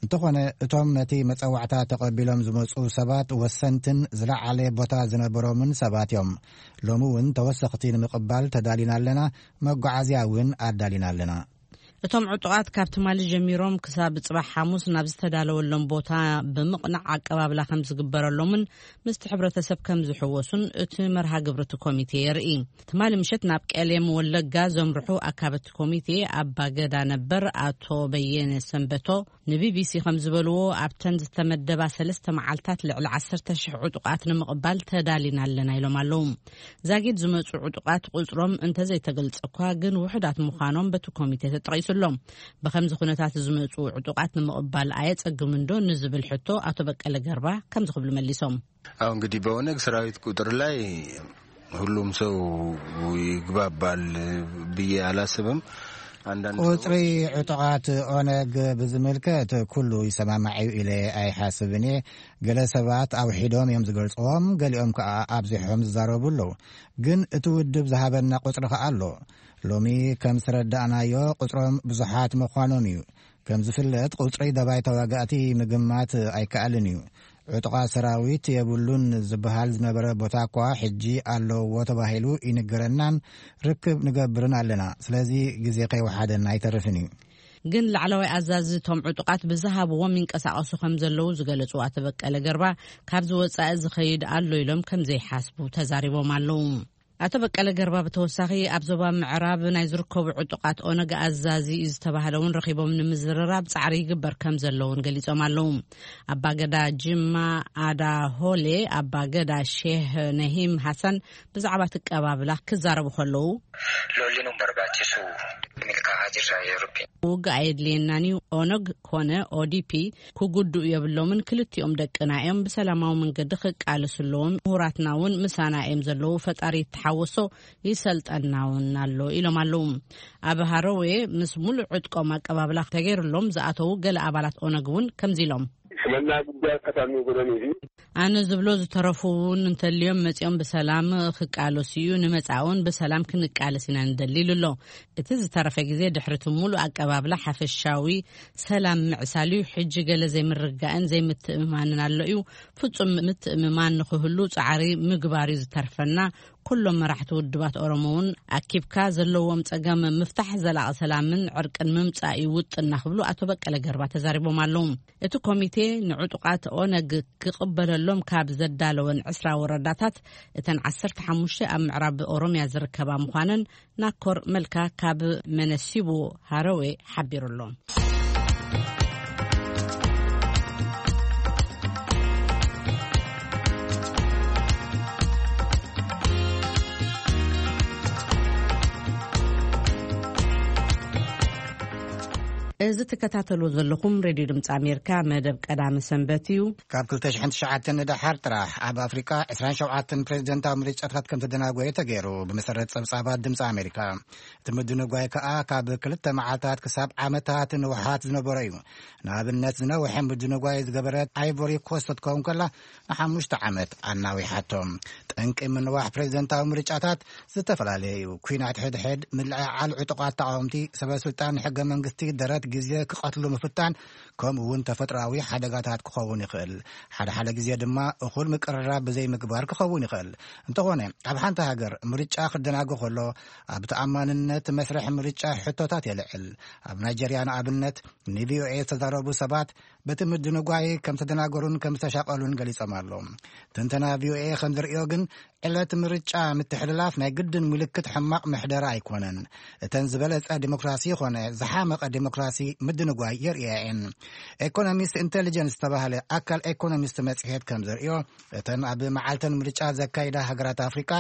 እንተኾነ፣ እቶም ነቲ መጸዋዕታ ተቐቢሎም ዝመጹ ሰባት ወሰንትን ዝለዓለ ቦታ ዝነበሮምን ሰባት እዮም። ሎሚ እውን ተወሰኽቲ ንምቕባል ተዳሊና ኣለና። መጓዓዝያ እውን ኣዳሊና ኣለና። እቶም ዕጡቓት ካብ ትማሊ ጀሚሮም ክሳብ ጽባሕ ሓሙስ ናብ ዝተዳለወሎም ቦታ ብምቕናዕ ኣቀባብላ ከም ዝግበረሎምን ምስቲ ሕብረተሰብ ከም ዝሕወሱን እቲ መርሃ ግብሪ እቲ ኮሚቴ የርኢ። ትማሊ ምሸት ናብ ቀሌም ወለጋ ዘምርሑ ኣካበቲ ኮሚቴ ኣባ ገዳ ነበር ኣቶ በየነ ሰንበቶ ንቢቢሲ ከም ዝበልዎ፣ ኣብተን ዝተመደባ ሰለስተ መዓልታት ልዕሊ ዓሰርተ ሽሕ ዕጡቓት ንምቕባል ተዳሊና ኣለና ኢሎም ኣለዉ። ዛጊድ ዝመጹ ዕጡቓት ቁጽሮም እንተዘይተገልጸ እኳ ግን ውሑዳት ምዃኖም በቲ ኮሚቴ ተጠቒሱ ኣሎ። ብኸምዚ ኩነታት ዝመጹ ዕጡቓት ንምቕባል ኣየጸግምን ዶ ንዝብል ሕቶ ኣቶ በቀለ ገርባ ከምዚ ክብሉ መሊሶም። አሁ እንግዲህ በኦነግ ሰራዊት ቁጥር ላይ ሁሉም ሰው ይግባባል ብዬ አላስብም። አንዳንድ ቁጽሪ ሰዎች ዕጡቓት ኦነግ ብዝምልከት ኩሉ ይሰማማዕ እዩ ኢለ ኣይሓስብን እየ። ገለ ሰባት ኣውሒዶም እዮም ዝገልጽዎም፣ ገሊኦም ከኣ ኣብዚሖም ዝዛረቡ ኣለዉ። ግን እቲ ውድብ ዝሃበና ቁጽሪ ከኣ ኣሎ። ሎሚ ከም ዝተረዳእናዮ ቁጽሮም ብዙሓት ምዃኖም እዩ። ከም ዝፍለጥ ቁጽሪ ደባይ ተዋጋእቲ ምግማት ኣይከኣልን እዩ። ዕጡቓት ሰራዊት የብሉን ዝበሃል ዝነበረ ቦታ እኳ ሕጂ ኣለዎ ተባሂሉ ይንገረናን ርክብ ንገብርን ኣለና። ስለዚ ግዜ ከይወሓደና ኣይተርፍን እዩ። ግን ላዕለዋይ ኣዛዚ እቶም ዕጡቓት ብዝሃብዎም ይንቀሳቐሱ ከም ዘለዉ ዝገለጹ ኣቶ በቀለ ገርባ፣ ካብዚ ወጻኢ ዝኸይድ ኣሎ ኢሎም ከም ዘይሓስቡ ተዛሪቦም ኣለዉ። ኣቶ በቀለ ገርባ ብተወሳኺ ኣብ ዞባ ምዕራብ ናይ ዝርከቡ ዕጡቓት ኦነግ ኣዛዚ እዩ ዝተባህለ እውን ረኺቦም ንምዝርራብ ጻዕሪ ይግበር ከም ዘለውን ገሊጾም ኣለዉ። ኣባገዳ ጅማ ኣዳ ሆሌ፣ ኣባገዳ ሼህ ነሂም ሃሰን ብዛዕባ እቲ ኣቀባብላ ክዛረቡ ከለዉ፣ Lolli nun barbaachisu. ኢልካ ኣቲርካ ይርቢ። ውግእ ኣየድልየናን እዩ። ኦነግ ኮነ ኦዲፒ ክጉድኡ የብሎምን። ክልቲኦም ደቅና እዮም። ብሰላማዊ መንገዲ ክቃለሱ ኣለዎም። ምሁራትና እውን ምሳና እዮም ዘለዉ። ፈጣሪ ይተሓወሶ፣ ይሰልጠና እውን ኣሎ ኢሎም ኣለዉ። ኣብ ሃረዌ ምስ ሙሉእ ዕጥቆም ኣቀባብላ ተገይሩሎም ዝኣተዉ ገለ ኣባላት ኦነግ እውን ከምዚ ኢሎም። ስለና ጉዳይ ቀታሚ ጎደን እዩ። ኣነ ዝብሎ ዝተረፉ እውን እንተልዮም መጺኦም ብሰላም ክቃለሱ እዩ። ንመጻእውን ብሰላም ክንቃለስ ኢና ንደሊ ኢሉ ኣሎ። እቲ ዝተረፈ ግዜ ድሕሪ እቲ ሙሉእ ኣቀባብላ ሓፈሻዊ ሰላም ምዕሳል እዩ። ሕጂ ገለ ዘይምርግጋእን ዘይምትእምማንን ኣሎ እዩ። ፍጹም ምትእምማን ንኽህሉ ጻዕሪ ምግባር እዩ ዝተርፈና። ኩሎም መራሕቲ ውድባት ኦሮሞ እውን ኣኪብካ ዘለዎም ጸገም ምፍታሕ፣ ዘላቒ ሰላምን ዕርቅን ምምጻእ እዩ ውጥንና ክብሉ ኣቶ በቀለ ገርባ ተዛሪቦም ኣለዉ። እቲ ኮሚቴ ንዕጡቓት ኦነግ ክቕበለሎም ካብ ዘዳለወን ዕስራ ወረዳታት እተን ዓሰርተ ሓሙሽተ ኣብ ምዕራብ ኦሮምያ ዝርከባ ምዃነን ናኮር መልካ ካብ መነሲቡ ሃረዌ ሓቢሩ ኣሎ። እዚ ትከታተሉ ዘለኹም ሬድዮ ድምፂ ኣሜሪካ መደብ ቀዳሚ ሰንበት እዩ። ካብ ክልተ ሽሕን ትሽዓተን ንደሓር ጥራሕ ኣብ ኣፍሪቃ ዕስራን ሸውዓተን ፕሬዚደንታዊ ምርጫታት ከም ተደናጎየ ተገይሩ፣ ብመሰረት ጸብጻባት ድምፂ ኣሜሪካ። እቲ ምድንጓይ ከኣ ካብ ክልተ መዓልታት ክሳብ ዓመታት ንውሓት ዝነበረ እዩ። ንኣብነት፣ ዝነውሐ ምድንጓይ ዝገበረት ኣይቮሪ ኮስት ክትከውን ከላ፣ ንሓሙሽተ ዓመት ኣናዊሓቶ። ጠንቂ ምንዋሕ ፕሬዚደንታዊ ምርጫታት ዝተፈላለየ እዩ። ኲናት ሕድሕድ፣ ምልዕዓል ዕጡቓት ተቓወምቲ፣ ሰበ ስልጣን ሕገ መንግስቲ፣ ደረት ግዜ ክቐትሉ ምፍታን፣ ከምኡ እውን ተፈጥሮኣዊ ሓደጋታት ክኸውን ይኽእል። ሓደ ሓደ ግዜ ድማ እኹል ምቅርራብ ብዘይምግባር ክኸውን ይኽእል። እንተኾነ፣ ኣብ ሓንቲ ሃገር ምርጫ ክደናጎ ከሎ፣ ኣብ ተኣማንነት መስርሕ ምርጫ ሕቶታት የልዕል። ኣብ ናይጀርያ ንኣብነት፣ ንቪኦኤ ዝተዛረቡ ሰባት በቲ ምድንጓይ ከም ዝተደናገሩን ከም ዝተሻቐሉን ገሊጾም ኣለዉ። ትንተና ቪኦኤ ከም ዝርእዮ ግን፣ ዕለት ምርጫ ምትሕልላፍ ናይ ግድን ምልክት ሕማቕ ምሕደራ ኣይኮነን። እተን ዝበለጸ ዲሞክራሲ ይኾነ ዝሓመቐ ዲሞክራሲ ምድንጓይ የርእያ እየን። ኤኮኖሚስት ኢንቴሊጀንስ ዝተባህለ ኣካል ኤኮኖሚስት መጽሔት ከም ዘርእዮ፣ እተን ኣብ መዓልተን ምርጫ ዘካይዳ ሃገራት ኣፍሪቃ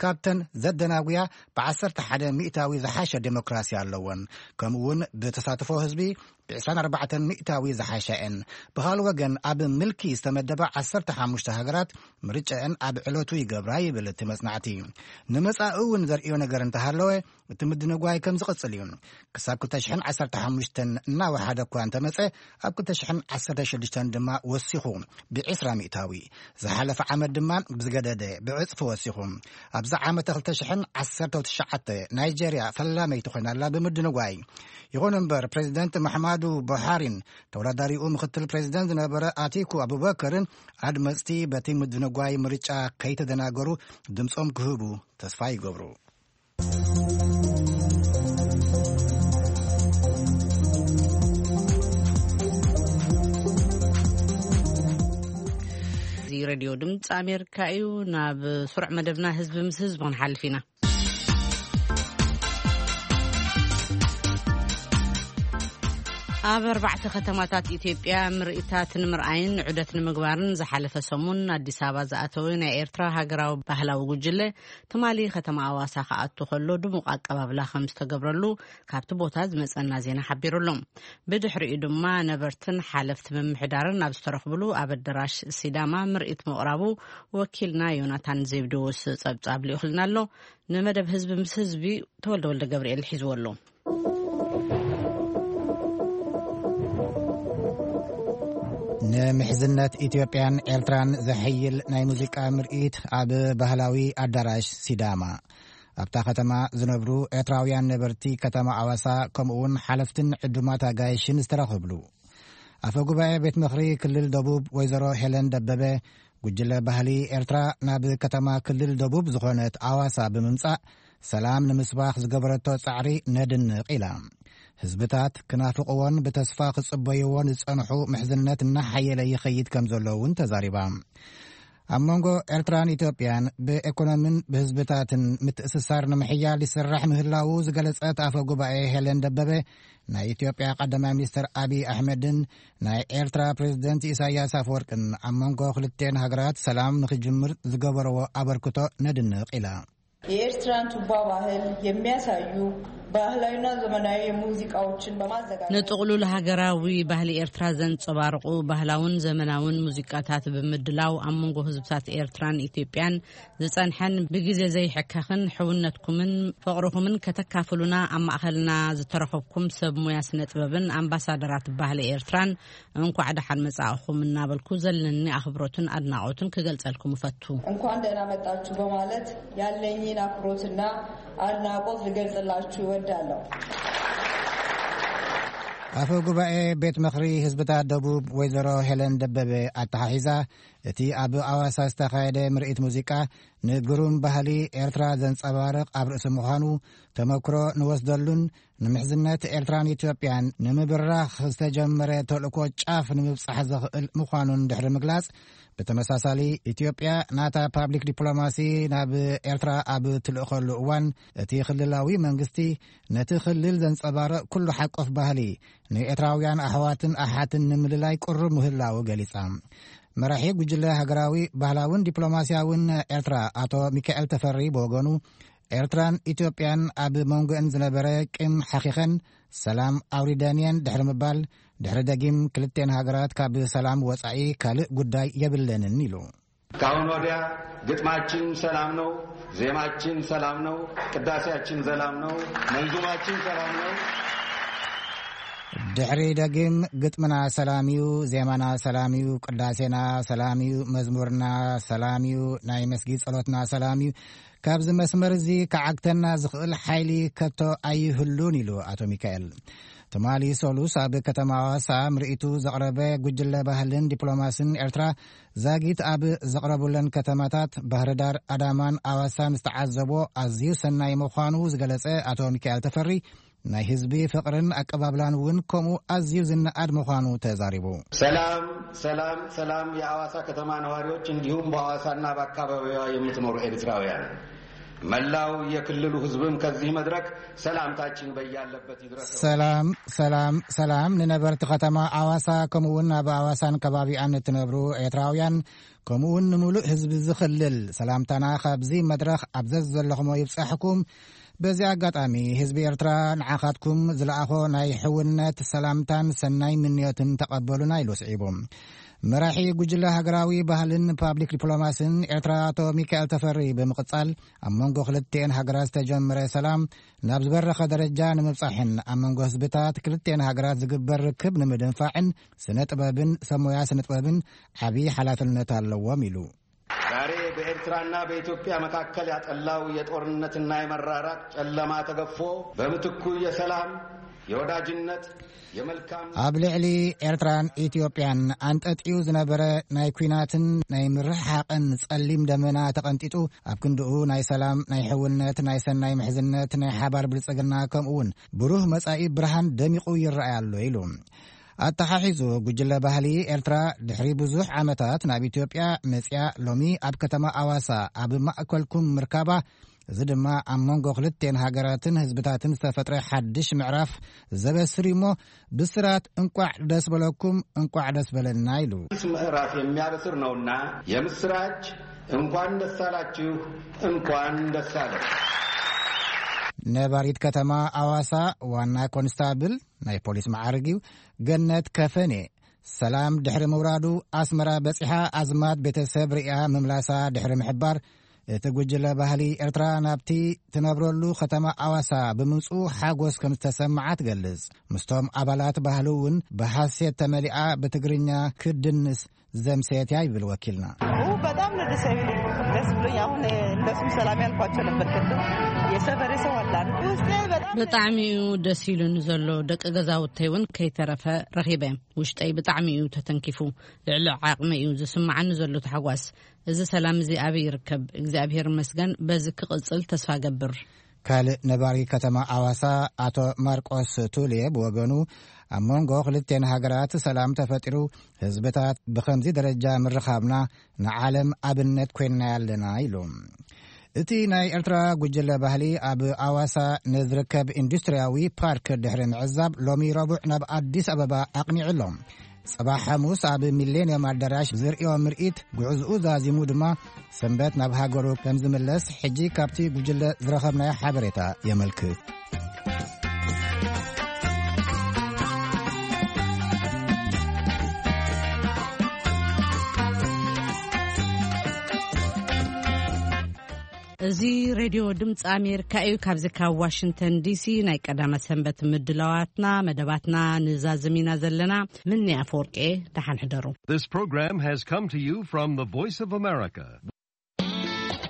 ካብተን ዘደናጉያ ብ ዓሰርተ ሓደ ሚእታዊ ዝሓሸ ዲሞክራሲ ኣለወን። ከምኡ እውን ብተሳትፎ ህዝቢ ብ ዕስራን ኣርባዕተን ሚእታዊ ዝሓሻ እየን። ብኻልእ ወገን፣ ኣብ ምልኪ ዝተመደባ ዓሰርተ ሓሙሽተ ሃገራት ምርጫአን ኣብ ዕለቱ ይገብራ ይብል እቲ መጽናዕቲ። ንመጻኢ እውን ዘርእዮ ነገር እንተሃለወ፣ እቲ ምድንጓይ ከም ዝቕጽል እዩ። ክሳብ ክልተ ሽሕን ዓሰርተ ሓሙሽተን እናወሓደ እኳ እንተመጸ፣ ኣብ ክልተ ሽሕን ዓሰርተ ሽዱሽተን ድማ ወሲኹ ብዕስራ ሚእታዊ። ዝሓለፈ ዓመት ድማ ብዝገደደ ብዕጽፊ ወሲኹ። ኣብዚ ዓመተ ክልተ ሽሕን ዓሰርተ ትሽዓተ ናይጀርያ ፈላመይቲ ኮይና ኣላ ብምድንጓይ። ይኹን እምበር፣ ፕሬዚደንት መሓማዱ ቡሃሪን ተወዳዳሪኡ ምክትል ፕሬዚደንት ዝነበረ ኣቲኩ ኣቡበከርን ኣድመጽቲ በቲ ምድንጓይ ምርጫ ከይተደናገሩ ድምጾም ክህቡ ተስፋ ይገብሩ። እዚ ሬድዮ ድምፂ ኣሜሪካ እዩ። ናብ ስሩዕ መደብና ህዝቢ ምስ ህዝቢ ክንሓልፍ ኢና። ኣብ ኣርባዕተ ከተማታት ኢትዮጵያ ምርኢታት ንምርኣይን ዑደት ንምግባርን ዝሓለፈ ሰሙን ኣዲስ ኣበባ ዝኣተወ ናይ ኤርትራ ሃገራዊ ባህላዊ ጉጅለ፣ ትማሊ ከተማ ኣዋሳ ክኣቱ ከሎ ድሙቕ ኣቀባብላ ከም ዝተገብረሉ ካብቲ ቦታ ዝመጸና ዜና ሓቢሩ ኣሎ። ብድሕሪኡ ድማ ነበርትን ሓለፍቲ ምምሕዳርን ኣብ ዝተረኽብሉ ኣብ ኣደራሽ ሲዳማ ምርኢት ምቕራቡ ወኪልና ዮናታን ዜብድዎስ ጸብጻብ ልኢኹልና ኣሎ። ንመደብ ህዝቢ ምስ ህዝቢ ተወልደ ወልደ ገብርኤል ሒዝዎ ኣሎ። ንምሕዝነት ኢትዮጵያን ኤርትራን ዘሐይል ናይ ሙዚቃ ምርኢት ኣብ ባህላዊ ኣዳራሽ ሲዳማ። ኣብታ ከተማ ዝነብሩ ኤርትራውያን ነበርቲ ከተማ ኣዋሳ፣ ከምኡውን ሓለፍትን ዕዱማት ኣጋይሽን ዝተረኸብሉ። ኣፈ ጉባኤ ቤት ምኽሪ ክልል ደቡብ ወይዘሮ ሄለን ደበበ፣ ጉጅለ ባህሊ ኤርትራ ናብ ከተማ ክልል ደቡብ ዝኾነት ኣዋሳ ብምምጻእ፣ ሰላም ንምስባኽ ዝገበረቶ ጻዕሪ ነድንቕ ኢላ። ህዝብታት ክናፍቕዎን ብተስፋ ክጽበይዎን ዝጸንሑ ምሕዝነት እናሓየለ ይኸይድ ከም ዘሎ እውን ተዛሪባ። ኣብ መንጎ ኤርትራን ኢትዮጵያን ብኤኮኖሚን ብህዝብታትን ምትእስሳር ንምሕያል ይስራሕ ምህላዉ ዝገለጸት ኣፈ ጉባኤ ሄለን ደበበ፣ ናይ ኢትዮጵያ ቀዳማይ ሚኒስትር ኣቢይ ኣሕመድን ናይ ኤርትራ ፕሬዚደንት ኢሳያስ ኣፈወርቅን ኣብ መንጎ ክልቴን ሃገራት ሰላም ንኽጅምር ዝገበረዎ ኣበርክቶ ነድንቕ ኢላ። የኤርትራን ቱባ ባህል የሚያሳዩ ባህላዊና ዘመናዊ ሙዚቃዎችን በማዘጋጀት ንጥቕሉል ሃገራዊ ባህሊ ኤርትራ ዘንጸባርቑ ባህላውን ዘመናውን ሙዚቃታት ብምድላው ኣብ መንጎ ህዝብታት ኤርትራን ኢትዮጵያን ዝጸንሐን ብግዜ ዘይሕከኽን ሕውነትኩምን ፍቕርኹምን ከተካፍሉና ኣብ ማእኸልና ዝተረኸብኩም ሰብ ሙያ ስነ ጥበብን ኣምባሳደራት ባህሊ ኤርትራን እንኳዕ ደሓን መጻእኹም እናበልኩ ዘለኒ ኣኽብሮትን ኣድናቖትን ክገልጸልኩም እፈቱ። እንኳን ደህና መጣችሁ በማለት ያለኝን አክብሮትና አድናቆት ልገልጽላችሁ እወዳለሁ። ኣፈ ጉባኤ ቤት ምኽሪ ህዝብታት ደቡብ ወይዘሮ ሄለን ደበበ ኣተሓሒዛ፣ እቲ ኣብ ኣዋሳ ዝተኻየደ ምርኢት ሙዚቃ ንግሩም ባህሊ ኤርትራ ዘንጸባርቕ ኣብ ርእሲ ምዃኑ፣ ተመክሮ ንወስደሉን ንምሕዝነት ኤርትራን ኢትዮጵያን ንምብራኽ ዝተጀመረ ተልእኮ ጫፍ ንምብጻሕ ዘኽእል ምዃኑን ድሕሪ ምግላጽ፣ ብተመሳሳሊ ኢትዮጵያ ናታ ፓብሊክ ዲፕሎማሲ ናብ ኤርትራ ኣብ ትልእኸሉ እዋን፣ እቲ ክልላዊ መንግስቲ ነቲ ክልል ዘንጸባርቕ ኩሉ ሓቆፍ ባህሊ ንኤርትራውያን ኣሕዋትን ኣሓትን ንምልላይ ቅሩብ ምህላው ገሊጻ። መራሒ ጉጅለ ሃገራዊ ባህላውን ዲፕሎማስያውን ኤርትራ ኣቶ ሚካኤል ተፈሪ ብወገኑ፣ ኤርትራን ኢትዮጵያን ኣብ መንጎአን ዝነበረ ቂም ሓኺኸን ሰላም ኣውሪደንየን ድሕሪ ምባል፣ ድሕሪ ደጊም ክልቴን ሃገራት ካብ ሰላም ወጻኢ ካልእ ጉዳይ የብለንን ኢሉ። ካሁን ወዲያ ግጥማችን ሰላም ነው፣ ዜማችን ሰላም ነው፣ ቅዳሴያችን ሰላም ነው፣ መንዙማችን ሰላም ነው። ድሕሪ ደጊም ግጥምና ሰላም እዩ፣ ዜማና ሰላም እዩ፣ ቅዳሴና ሰላም እዩ፣ መዝሙርና ሰላም እዩ፣ ናይ መስጊድ ጸሎትና ሰላም እዩ። ካብዚ መስመር እዚ ክዓግተና ዝኽእል ሓይሊ ከቶ ኣይህሉን ኢሉ ኣቶ ሚካኤል። ትማሊ ሰሉስ ኣብ ከተማ ኣዋሳ ምርኢቱ ዘቕረበ ጉጅለ ባህልን ዲፕሎማስን ኤርትራ ዛጊት ኣብ ዘቕረቡለን ከተማታት ባህርዳር፣ ኣዳማን ኣዋሳን ዝተዓዘቦ ኣዝዩ ሰናይ ምዃኑ ዝገለጸ ኣቶ ሚካኤል ተፈሪ፣ ናይ ህዝቢ ፍቕርን ኣቀባብላን እውን ከምኡ ኣዝዩ ዝነኣድ ምዃኑ ተዛሪቡ። ሰላም፣ ሰላም፣ ሰላም የአዋሳ ከተማ ነዋሪዎች እንዲሁም በአዋሳና በአካባቢዋ የምትኖሩ ኤርትራውያን፣ መላው የክልሉ ህዝብም ከዚህ መድረክ ሰላምታችን በያለበት ይድረስ። ሰላም፣ ሰላም፣ ሰላም ንነበርቲ ከተማ ኣዋሳ ከምኡውን ኣብ ኣዋሳን ከባቢኣን እትነብሩ ኤርትራውያን ከምኡውን ንምሉእ ህዝቢ ዝኽልል ሰላምታና ካብዚ መድረኽ ኣብ ዘዘለኹሞ ይብጻሕኩም። በዚ ኣጋጣሚ ህዝቢ ኤርትራ ንዓኻትኩም ዝለኣኾ ናይ ሕውነት ሰላምታን ሰናይ ምንዮትን ተቐበሉና ኢሉ ስዒቡ። መራሒ ጉጅለ ሃገራዊ ባህልን ፓብሊክ ዲፕሎማስን ኤርትራ ኣቶ ሚካኤል ተፈሪ ብምቕጻል፣ ኣብ መንጎ ክልቲኤን ሃገራት ዝተጀመረ ሰላም ናብ ዝበረኸ ደረጃ ንምብጻሕን ኣብ መንጎ ህዝብታት ክልቲኤን ሃገራት ዝግበር ርክብ ንምድንፋዕን ስነ ጥበብን ሰብ ሞያ ስነ ጥበብን ዓቢ ሓላፍነት ኣለዎም ኢሉ። ዛሬ በኤርትራና በኢትዮጵያ መካከል ያጠላው የጦርነትና የመራራቅ ጨለማ ተገፎ በምትኩ የሰላም፣ የወዳጅነት፣ የመልካም ኣብ ልዕሊ ኤርትራን ኢትዮጵያን ኣንጠጥዩ ዝነበረ ናይ ኲናትን ናይ ምርሕሓቕን ጸሊም ደመና ተቐንጢጡ፣ ኣብ ክንድኡ ናይ ሰላም፣ ናይ ሕውነት፣ ናይ ሰናይ ምሕዝነት፣ ናይ ሓባር ብልጽግና ከምኡውን ብሩህ መጻኢ ብርሃን ደሚቑ ይረኣይ ኣሎ ኢሉ። ኣተሓሒዙ ጉጅለ ባህሊ ኤርትራ ድሕሪ ብዙሕ ዓመታት ናብ ኢትዮጵያ መጽያ ሎሚ ኣብ ከተማ ኣዋሳ ኣብ ማእከልኩም ምርካባ፣ እዚ ድማ ኣብ መንጎ ክልቴን ሃገራትን ህዝብታትን ዝተፈጥረ ሓድሽ ምዕራፍ ዘበስር እዩ እሞ፣ ብስራት እንቋዕ ደስ በለኩም፣ እንቋዕ ደስ በለና ኢሉ። አዲስ ምዕራፍ የሚያበስር ነውና የምስራች እንኳን ደስ አላችሁ፣ እንኳን ደስ አለን። ነባሪት ከተማ ኣዋሳ ዋና ኮንስታብል ናይ ፖሊስ መዓርግ እዩ። ገነት ከፈኔ ሰላም ድሕሪ ምውራዱ ኣስመራ በጺሓ ኣዝማድ ቤተሰብ ርእያ ምምላሳ ድሕሪ ምሕባር፣ እቲ ጉጅለ ባህሊ ኤርትራ ናብቲ ትነብረሉ ከተማ ኣዋሳ ብምምጽኡ ሓጎስ ከም ዝተሰምዓ ትገልጽ። ምስቶም ኣባላት ባህሊ እውን ብሓሴት ተመሊኣ ብትግርኛ ክድንስ ዘምሰየት እያ ይብል ወኪልና። በጣም ነው ደስ የሚለኝ። ደስ ብሎኝ አሁን እንደሱም ሰላም ያልኳቸው ነበር። ቅድም የሰፈሬ ሰው አለ አይደል? ውስጤ በጣም ብጣዕሚ እዩ ደስ ኢሉኒ ዘሎ። ደቂ ገዛውተይ እውን ከይተረፈ ረኺበ። ውሽጠይ ብጣዕሚ እዩ ተተንኪፉ። ልዕሊ ዓቕመይ እዩ ዝስምዓኒ ዘሎ ታሕጓስ። እዚ ሰላም እዚ ኣበይ ይርከብ? እግዚኣብሔር ይመስገን። በዚ ክቕጽል ተስፋ ገብር። ካልእ ነባሪ ከተማ ኣዋሳ ኣቶ ማርቆስ ቱሌ ብወገኑ፣ ኣብ መንጎ ክልቴን ሃገራት ሰላም ተፈጢሩ፣ ህዝብታት ብኸምዚ ደረጃ ምርኻብና ንዓለም ኣብነት ኮይንና ኣለና ኢሉ። እቲ ናይ ኤርትራ ጉጅለ ባህሊ ኣብ ኣዋሳ ንዝርከብ ኢንዱስትርያዊ ፓርክ ድሕሪ ምዕዛብ፣ ሎሚ ረቡዕ ናብ ኣዲስ ኣበባ ኣቕኒዑ ኣሎ። ጽባሕ ሓሙስ ኣብ ሚሌንየም ኣዳራሽ ዝርእዮ ምርኢት፣ ጉዕዝኡ ዛዚሙ ድማ ሰንበት ናብ ሃገሩ ከም ዝምለስ፣ ሕጂ ካብቲ ጉጅለ ዝረኸብናዮ ሓበሬታ የመልክት። እዚ ሬድዮ ድምፂ ኣሜሪካ እዩ። ካብዚ ካብ ዋሽንግተን ዲሲ ናይ ቀዳመ ሰንበት ምድላዋትና መደባትና ንዛዝም ኢና ዘለና። ምኒ ኣፈወርቄ፣ ደሓን ሕደሩ። This program has come to you from the Voice of America,